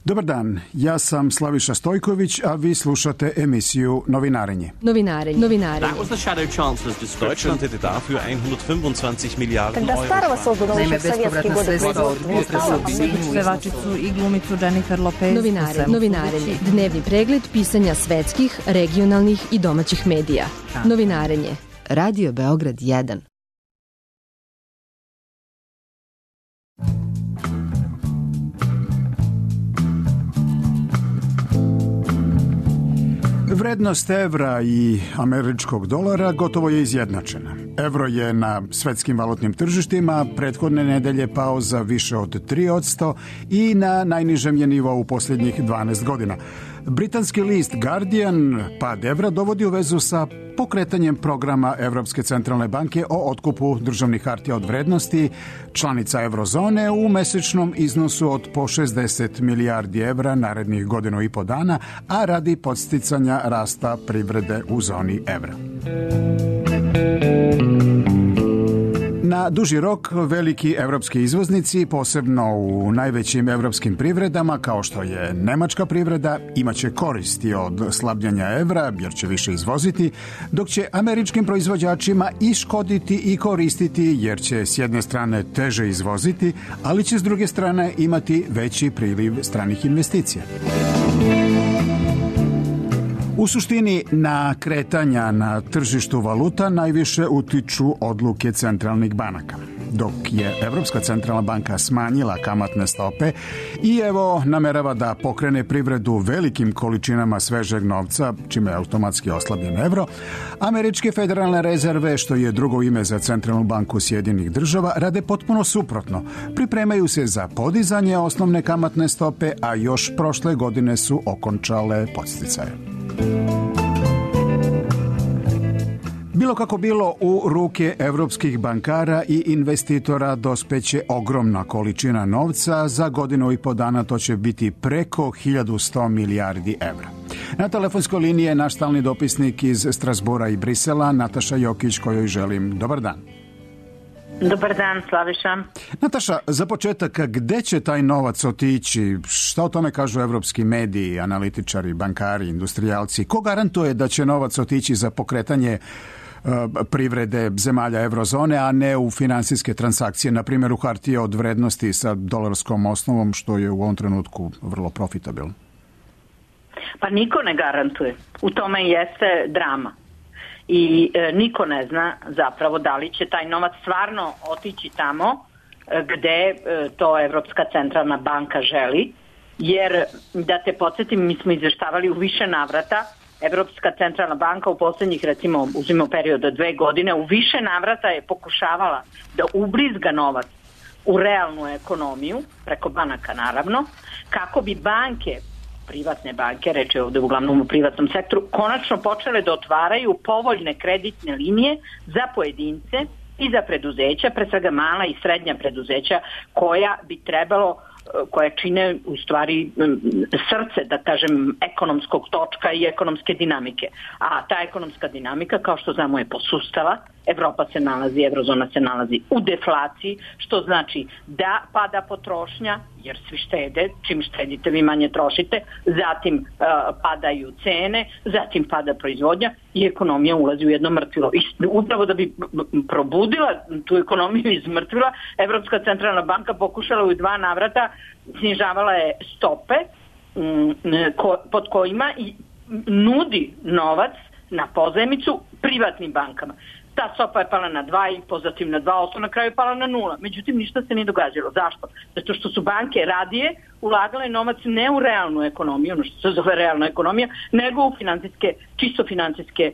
Dobar dan, ja sam Slaviša Stojković, a vi slušate emisiju Novinarenje. That was the shadow chancellor's description. Deutschland hätte dafür 125 Miliarden Когда старого создано еще в советские годы Pevačicu i glumicu Jennifer Lopez. Novinarenje. Dnevni pregled pisanja svetskih, regionalnih i domaćih medija. Novinarenje. Radio Beograd 1. Vrednost evra i američkog dolara gotovo je izjednačena. Evro je na svetskim valutnim tržištima prethodne nedelje pao za više od 3% i na najnižem je nivou u posljednjih 12 godina. Britanski list Guardian pad evra dovodi u vezu sa pokretanjem programa Evropske centralne banke o otkupu državnih hartija od vrednosti članica eurozone u mesečnom iznosu od po 60 milijardi evra narednih godinu i po dana, a radi podsticanja rasta privrede u zoni evra. Na duži rok veliki evropski izvoznici, posebno u najvećim evropskim privredama kao što je nemačka privreda, imaće koristi od slabljenja evra jer će više izvoziti, dok će američkim proizvođačima i škoditi i koristiti jer će s jedne strane teže izvoziti, ali će s druge strane imati veći priliv stranih investicija. U suštini, na kretanja na tržištu valuta najviše utiču odluke centralnih banaka. Dok je Evropska centralna banka smanjila kamatne stope i evo namerava da pokrene privredu velikim količinama svežeg novca, čime je automatski oslabljen evro, američke federalne rezerve, što je drugo ime za centralnu banku Sjedinjenih država, rade potpuno suprotno. Pripremaju se za podizanje osnovne kamatne stope, a još prošle godine su okončale podsticaje. Bilo kako bilo, u ruke evropskih bankara i investitora dospeće ogromna količina novca. Za godinu i po dana to će biti preko 1100 milijardi evra. Na telefonskoj liniji je naš stalni dopisnik iz Strasbura i Brisela, Nataša Jokić, kojoj želim dobar dan. Dobar dan, Slaviša. Nataša, za početak, gde će taj novac otići? Šta o tome kažu evropski mediji, analitičari, bankari, industrijalci? Ko garantuje da će novac otići za pokretanje privrede zemalja eurozone, a ne u finansijske transakcije, na primjer u hartije od vrednosti sa dolarskom osnovom, što je u ovom trenutku vrlo profitabilno? Pa niko ne garantuje. U tome jeste drama. I niko ne zna zapravo da li će taj novac stvarno otići tamo gde to Evropska centralna banka želi, jer da te podsjetim, mi smo izveštavali u više navrata, Evropska centralna banka u posljednjih, recimo, uzmimo period od 2 godine, u više navrata je pokušavala da ubrizga novac u realnu ekonomiju, preko banaka naravno, kako bi banke, privatne banke, reč je ovdje uglavnom u privatnom sektoru, konačno počele da otvaraju povoljne kreditne linije za pojedince i za preduzeća, pre svega mala i srednja preduzeća koja čine u stvari srce, da kažem, ekonomskog točka i ekonomske dinamike. A ta ekonomska dinamika, kao što znamo, je posustala. Evropa se nalazi, eurozona se nalazi u deflaciji, što znači da pada potrošnja, jer svi štede, čim štedite vi manje trošite, zatim padaju cene, zatim pada proizvodnja i ekonomija ulazi u jedno mrtvilo. I upravo da bi probudila tu ekonomiju iz mrtvila, Evropska centralna banka pokušala u 2 navrata, snižavala je stope pod kojima i nudi novac na pozajmicu privatnim bankama. Ta stopa je pala na 2,5, zatim na 2%, na kraju je pala na 0. Međutim, ništa se nije događalo. Zašto? Zato što su banke radije ulagale novac ne u realnu ekonomiju, ono što se zove realna ekonomija, nego u čisto financijske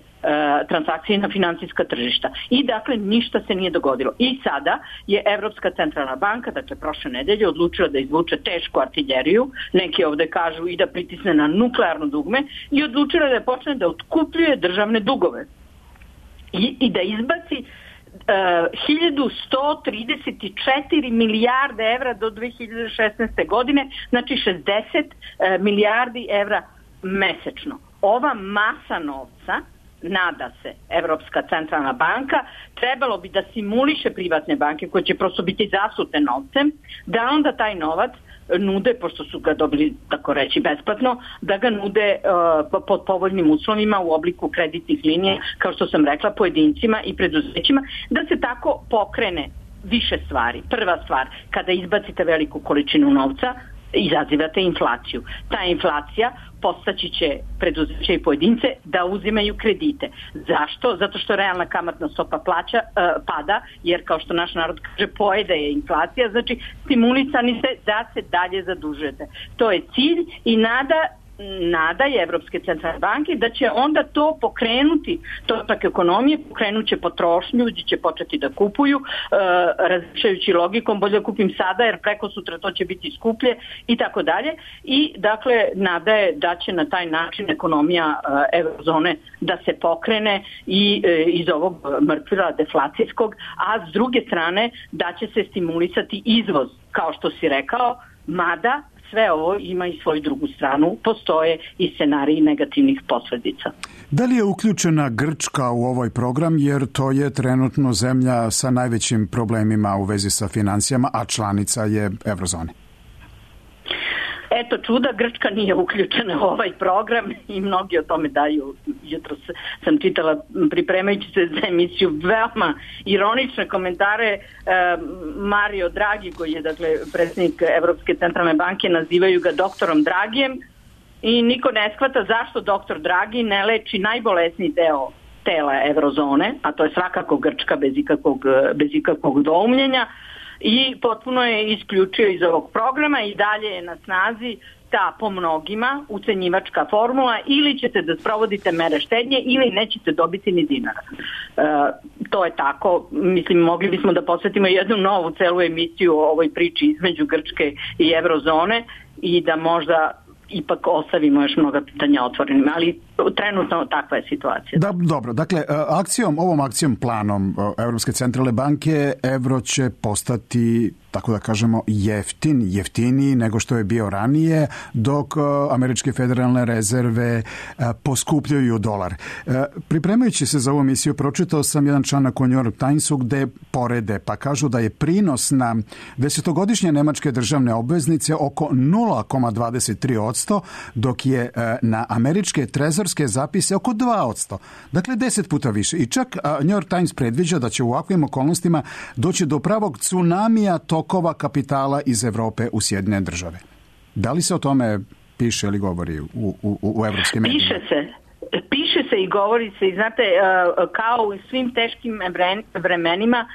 transakcije na financijska tržišta. I dakle, ništa se nije dogodilo. I sada je Evropska centralna banka, dakle prošle nedelje, odlučila da izvuče tešku artiljeriju, neki ovde kažu i da pritisne na nuklearno dugme, i odlučila da počne da otkupljuje državne dugove. I da izbaci 1134 milijarde evra do 2016. godine, znači 60 milijardi evra mesečno. Ova masa novca, nada se Evropska centralna banka, trebalo bi da simuliše privatne banke koje će prosto biti zasute novcem, da onda taj novac nude, pošto su ga dobili, tako reći, besplatno, da ga nude pod povoljnim uslovima u obliku kreditnih linija, kao što sam rekla, pojedincima i preduzećima, da se tako pokrene više stvari. Prva stvar, kada izbacite veliku količinu novca, izazivate inflaciju. Ta inflacija podstaći će preduzeće i pojedince da uzimaju kredite. Zašto? Zato što realna kamatna stopa pada, jer kao što naš narod kaže, pojede je inflacija, znači stimulisani ste da se dalje zadužujete. To je cilj i nada je Evropske centralne banke da će onda to pokrenuti, točak ekonomije, pokrenut će potrošnju, ljudi će početi da kupuju, razmišljajući logikom, bolje da kupim sada jer preko sutra to će biti skuplje i tako dalje. I dakle, nada je da će na taj način ekonomija eurozone da se pokrene i iz ovog mrtvila deflacijskog, a s druge strane da će se stimulisati izvoz, kao što si rekao, mada sve ovo ima i svoju drugu stranu, postoje i scenariji negativnih posledica. Da li je uključena Grčka u ovaj program, jer to je trenutno zemlja sa najvećim problemima u vezi sa financijama, a članica je eurozone? Eto čuda, Grčka nije uključena u ovaj program i mnogi o tome daju. Jutro sam čitala, pripremajući se za emisiju, veoma ironične komentare. Mario Draghi, koji je dakle predsjednik Evropske centralne banke, nazivaju ga doktorom Dragijem i niko ne shvata zašto doktor Draghi ne leči najbolesniji deo tela eurozone, a to je svakako Grčka bez ikakvog doumljenja, i potpuno je isključio iz ovog programa i dalje je na snazi ta po mnogima ucenjivačka formula, ili ćete da sprovodite mere štednje ili nećete dobiti ni dinara. To je tako, mislim, mogli bismo da posvetimo jednu novu celu emisiju o ovoj priči između Grčke i eurozone i da možda ipak ostavimo još mnoga pitanja otvorenim, ali trenutno takva je situacija. Da, dobro, dakle, ovom akcijom, planom Evropske centralne banke, evro će postati, tako da kažemo, jeftiniji nego što je bio ranije, dok američke federalne rezerve poskupljuju dolar. Pripremajući se za ovu emisiju, pročitao sam jedan članak u New York Timesu gde porede, pa kažu da je prinos na 10-godišnje nemačke državne obveznice oko 0,23%, dok je na američke trezorske zapise oko 2%. Dakle, 10 puta više. I čak New York Times predviđa da će u ovakvim okolnostima doći do pravog tsunamija tokova kapitala iz Evrope u Sjedinjene Države. Da li se o tome piše ili govori u evropskim medijima? Piše se i govori se, i znate, kao u svim teškim vremenima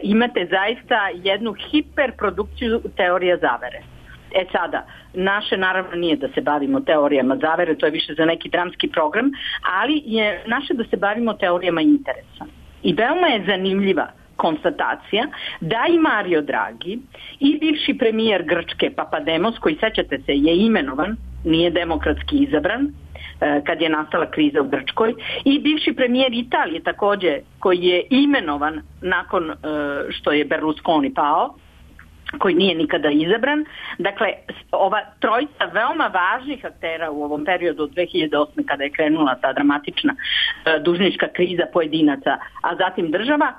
imate zaista jednu hiperprodukciju teorija zavere. Sada, naše naravno nije da se bavimo teorijama zavere, to je više za neki dramski program, ali je naše da se bavimo teorijama interesa. I veoma je zanimljiva konstatacija da i Mario Draghi i bivši premijer Grčke Papademos, koji, sećate se, je imenovan, nije demokratski izabran kad je nastala kriza u Grčkoj, i bivši premijer Italije također, koji je imenovan nakon što je Berlusconi pao, koji nije nikada izabran. Dakle, ova trojica veoma važnih aktera u ovom periodu od 2008. kada je krenula ta dramatična dužnička kriza pojedinaca, a zatim država,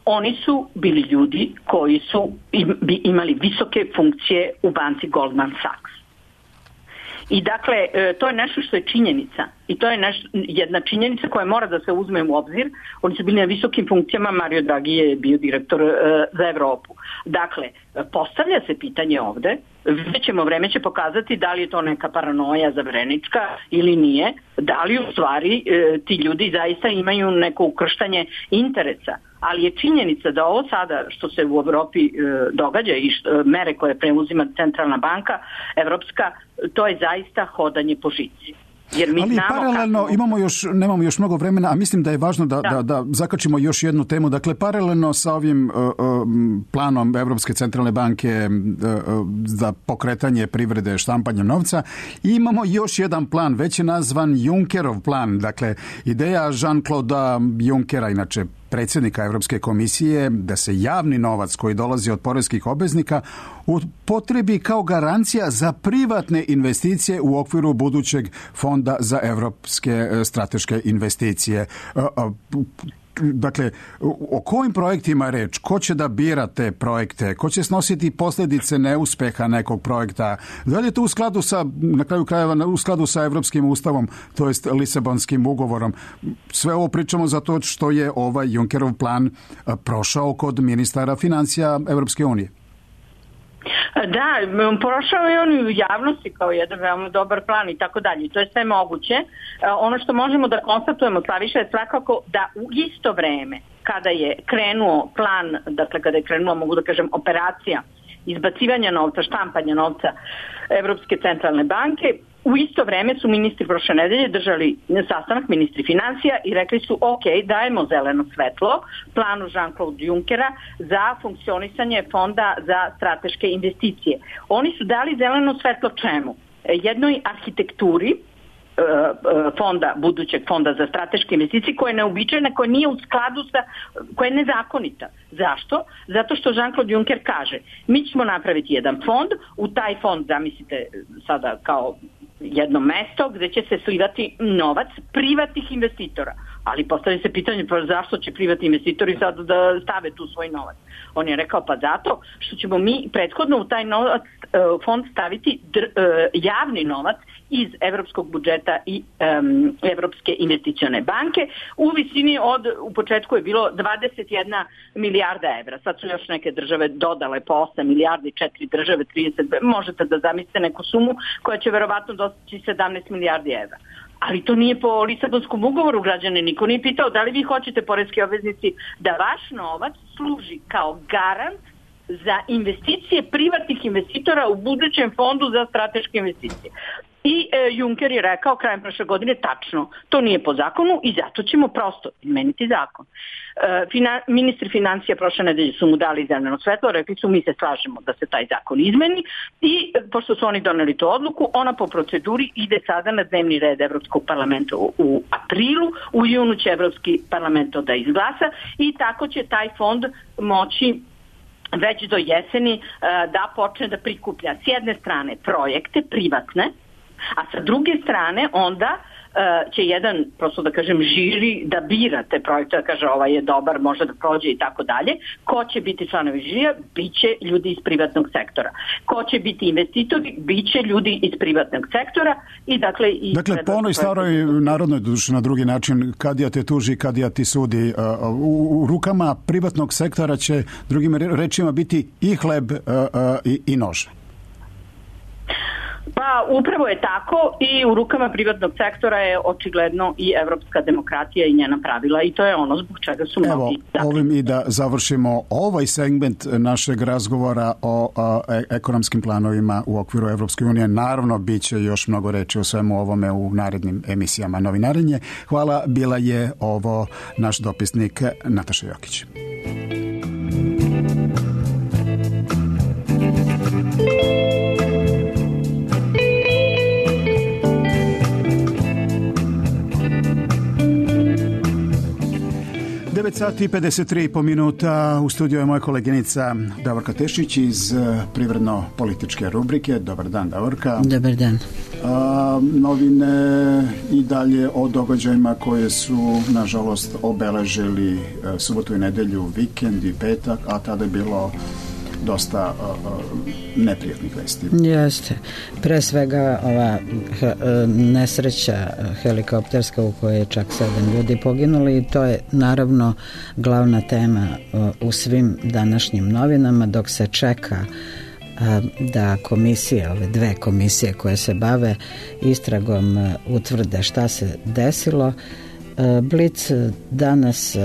oni su bili ljudi koji su imali visoke funkcije u banci Goldman Sachs. I dakle, to je nešto što je činjenica. I to je jedna činjenica koja mora da se uzme u obzir. Oni su bili na visokim funkcijama, Mario Draghi je bio direktor za Evropu. Dakle, postavlja se pitanje ovde, vreme će pokazati da li je to neka paranoja zaverenička ili nije, da li u stvari ti ljudi zaista imaju neko ukrštanje interesa. Ali je činjenica da ovo sada što se u Evropi događa i mere koje preuzima centralna banka evropska, to je zaista hodanje po žici. Ali paralelno, nemamo još mnogo vremena, a mislim da je važno da zakačimo još jednu temu. Dakle, paralelno sa ovim planom Evropske centralne banke za pokretanje privrede štampanjem novca, imamo još jedan plan, već je nazvan Junckerov plan. Dakle, ideja Jean-Claude Junckera, inače predsjednika Evropske komisije, da se javni novac koji dolazi od poreskih obveznika upotrebi kao garancija za privatne investicije u okviru budućeg fonda za evropske strateške investicije. Dakle, o kojim projektima reč? Ko će da bira te projekte? Ko će snositi posljedice neuspeha nekog projekta? Da li je to u skladu sa, na kraju krajeva, u skladu sa Evropskim ustavom, to jest Lisabonskim ugovorom? Sve ovo pričamo zato što je ovaj Junckerov plan prošao kod ministara financija Evropske unije. Da, prošao je on u javnosti kao jedan veoma dobar plan i tako dalje. To je sve moguće. Ono što možemo da konstatujemo, Slaviša, je svakako da u isto vreme kada je krenuo plan, dakle kada je krenula, mogu da kažem, operacija izbacivanja novca, štampanja novca Evropske centralne banke, u isto vreme su ministri prošle nedelje držali sastanak, ministri financija, i rekli su ok, dajemo zeleno svetlo planu Jean-Claude Junckera za funkcionisanje fonda za strateške investicije. Oni su dali zeleno svetlo čemu? Jednoj arhitekturi fonda, budućeg fonda za strateške investicije, koja je neobičajna, koja nije u skladu sa, koja je nezakonita. Zašto? Zato što Jean-Claude Juncker kaže, mi ćemo napraviti jedan fond, u taj fond, zamislite sada kao jedno mesto gde će se slivati novac privatnih investitora. Ali postavlja se pitanje, pa zašto će privatni investitori sad da stave tu svoj novac? On je rekao, pa zato što ćemo mi prethodno u taj novac, fond staviti javni novac iz evropskog budžeta i Evropske investicione banke u visini od, u početku je bilo 21 milijarda evra. Sad su još neke države dodale po 8 milijardi, 4 države, 30, možete da zamislite neku sumu koja će verovatno dostići 17 milijardi evra. Ali to nije po Lisabonskom ugovoru, građane, niko nije pitao da li vi hoćete, poreski obveznici, da vaš novac služi kao garant za investicije privatnih investitora u budućem fondu za strateške investicije. I Juncker je rekao krajem prošle godine, tačno, to nije po zakonu i zato ćemo prosto izmeniti zakon. Ministri financija prošle nedelje su mu dali zeleno svetlo, rekli su mi se slažemo da se taj zakon izmeni i pošto su oni doneli tu odluku, ona po proceduri ide sada na dnevni red Evropskog parlamenta u aprilu, u junu će Evropski parlament to da izglasa i tako će taj fond moći već do jeseni da počne da prikuplja s jedne strane projekte privatne, a sa druge strane onda će jedan, prosto da kažem, žiri da bira te projekte, da kaže ovaj je dobar, može da prođe i tako dalje. Ko će biti članovi žirija? Biće ljudi iz privatnog sektora. Ko će biti investitori? Biće ljudi iz privatnog sektora. I dakle, po onoj staroj narodnoj, duši na drugi način, kadija te tuži, kadija ti sudi, u rukama privatnog sektora će, drugim rečima, biti i hleb i nož. Pa upravo je tako i u rukama privatnog sektora je očigledno i evropska demokratija i njena pravila i to je ono zbog čega su mnogi. Evo, ovim i da završimo ovaj segment našeg razgovora o ekonomskim planovima u okviru Evropske unije. Naravno, bit će još mnogo reči o svemu ovome u narednim emisijama Novinarenje. Hvala, bila je ovo naš dopisnik Nataša Jokić. Sati i 53 minuta. U studiju je moja koleginica Davorka Tešić iz privredno-političke rubrike. Dobar dan, Davorka. Dobar dan. Novine i dalje o događajima koje su, nažalost, obeležili subotu i nedelju, vikend i petak, a tada je bilo dosta neprijatnih vesti. Jeste. Pre svega ova nesreća helikopterska u kojoj je čak 7 ljudi poginuli i to je naravno glavna tema u svim današnjim novinama dok se čeka da komisije, ove dve komisije koje se bave istragom utvrde šta se desilo. Blic danas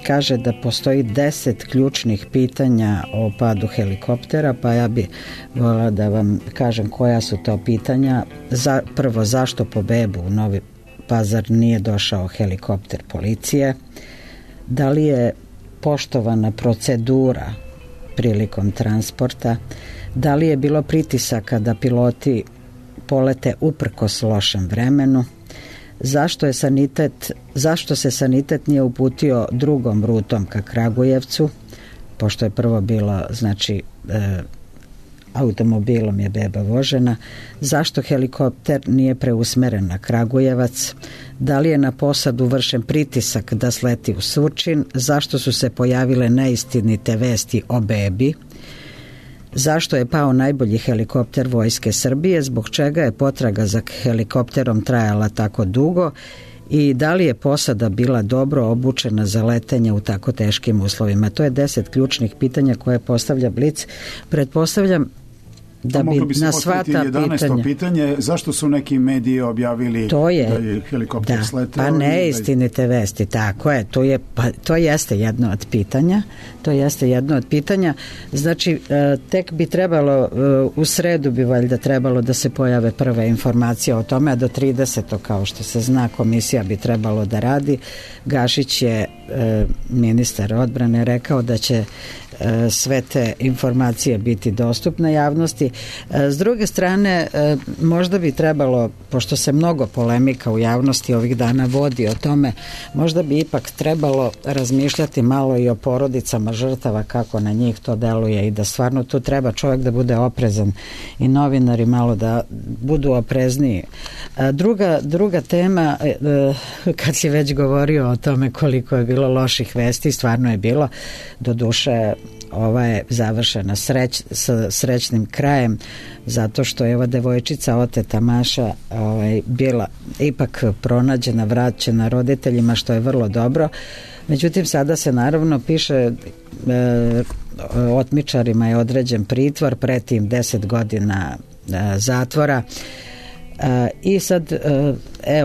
kaže da postoji 10 ključnih pitanja o padu helikoptera, pa ja bih voljela da vam kažem koja su to pitanja. Prvo, zašto po bebu u Novi Pazar nije došao helikopter policije? Da li je poštovana procedura prilikom transporta? Da li je bilo pritisaka da piloti polete uprkos lošem vremenu? Zašto se sanitet nije uputio drugom rutom ka Kragujevcu, pošto je prvo bilo automobilom je beba vožena, zašto helikopter nije preusmeren na Kragujevac, da li je na posadu vršen pritisak da sleti u Surčin, zašto su se pojavile neistinite vesti o bebi, zašto je pao najbolji helikopter Vojske Srbije, zbog čega je potraga za helikopterom trajala tako dugo i da li je posada bila dobro obučena za letenje u tako teškim uslovima. To je 10 ključnih pitanja koje postavlja Blic. Pretpostavljam da bi na sva ta 11. pitanje, zašto su neki mediji objavili da je helikopter sleteo? Pa neistinite vesti, tako je, to jeste jedno od pitanja. Znači, tek bi trebalo, u sredu bi valjda trebalo da se pojave prve informacije o tome, a do 30. kao što se zna, komisija bi trebalo da radi. Gašić je, ministar odbrane, rekao da će sve te informacije biti dostupne javnosti. S druge strane, možda bi trebalo, pošto se mnogo polemika u javnosti ovih dana vodi o tome, možda bi ipak trebalo razmišljati malo i o porodicama žrtava, kako na njih to deluje i da stvarno tu treba čovjek da bude oprezan i novinari malo da budu oprezniji. Druga tema, kad si već govorio o tome koliko je bilo loših vesti, stvarno je bilo, doduše ova je završena sa srećnim krajem, zato što je ova devojčica oteta Maša bila ipak pronađena, vraćena roditeljima, što je vrlo dobro. Međutim, sada se naravno piše, otmičarima je određen pritvor, pretim 10 godina zatvora. I sad,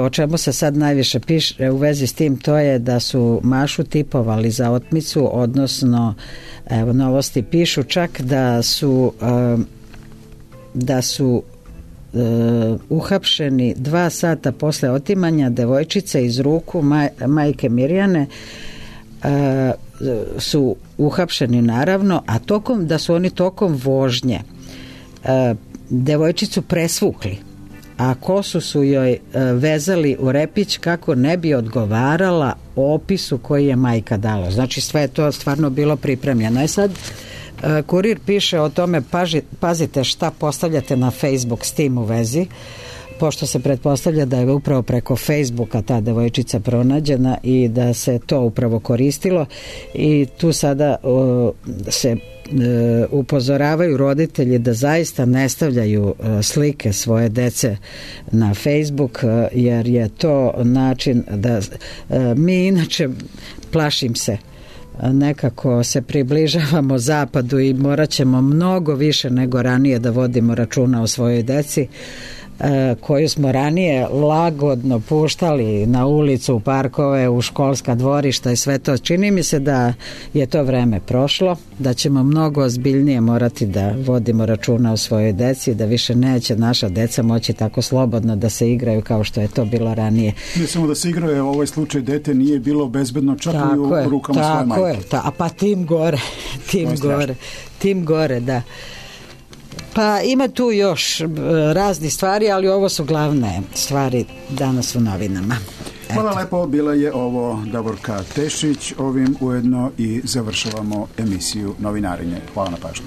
o čemu se sad najviše piše u vezi s tim, to je da su Mašu tipovali za otmicu, odnosno novosti pišu čak da su uhapšeni 2 sata posle otimanja devojčice iz ruku majke Mirjane, su uhapšeni naravno, a da su oni tokom vožnje devojčicu presvukli, a kosu su joj vezali u repić kako ne bi odgovarala opisu koji je majka dala. Znači sve je to stvarno bilo pripremljeno. I sad Kurir piše o tome, pazite šta postavljate na Facebook s tim u vezi, pošto se pretpostavlja da je upravo preko Facebooka ta devojčica pronađena i da se to upravo koristilo, i tu sada se upozoravaju roditelji da zaista ne stavljaju slike svoje dece na Facebook, jer je to način da mi inače, plašim se, nekako se približavamo zapadu i morat ćemo mnogo više nego ranije da vodimo računa o svojoj deci, koju smo ranije lagodno puštali na ulicu, u parkove, u školska dvorišta i sve to. Čini mi se da je to vreme prošlo, da ćemo mnogo ozbiljnije morati da vodimo računa o svojoj deci, da više neće naša deca moći tako slobodno da se igraju kao što je to bilo ranije. Ne samo da se igraju, u ovaj slučaj dete nije bilo bezbedno čak i u rukama svoje majke. A pa tim gore, da. Pa ima tu još raznih stvari, ali ovo su glavne stvari danas u novinama. Hvala lepo, bila je ovo Davorka Tešić, ovim ujedno i završavamo emisiju Novinarenje. Hvala na pažnju.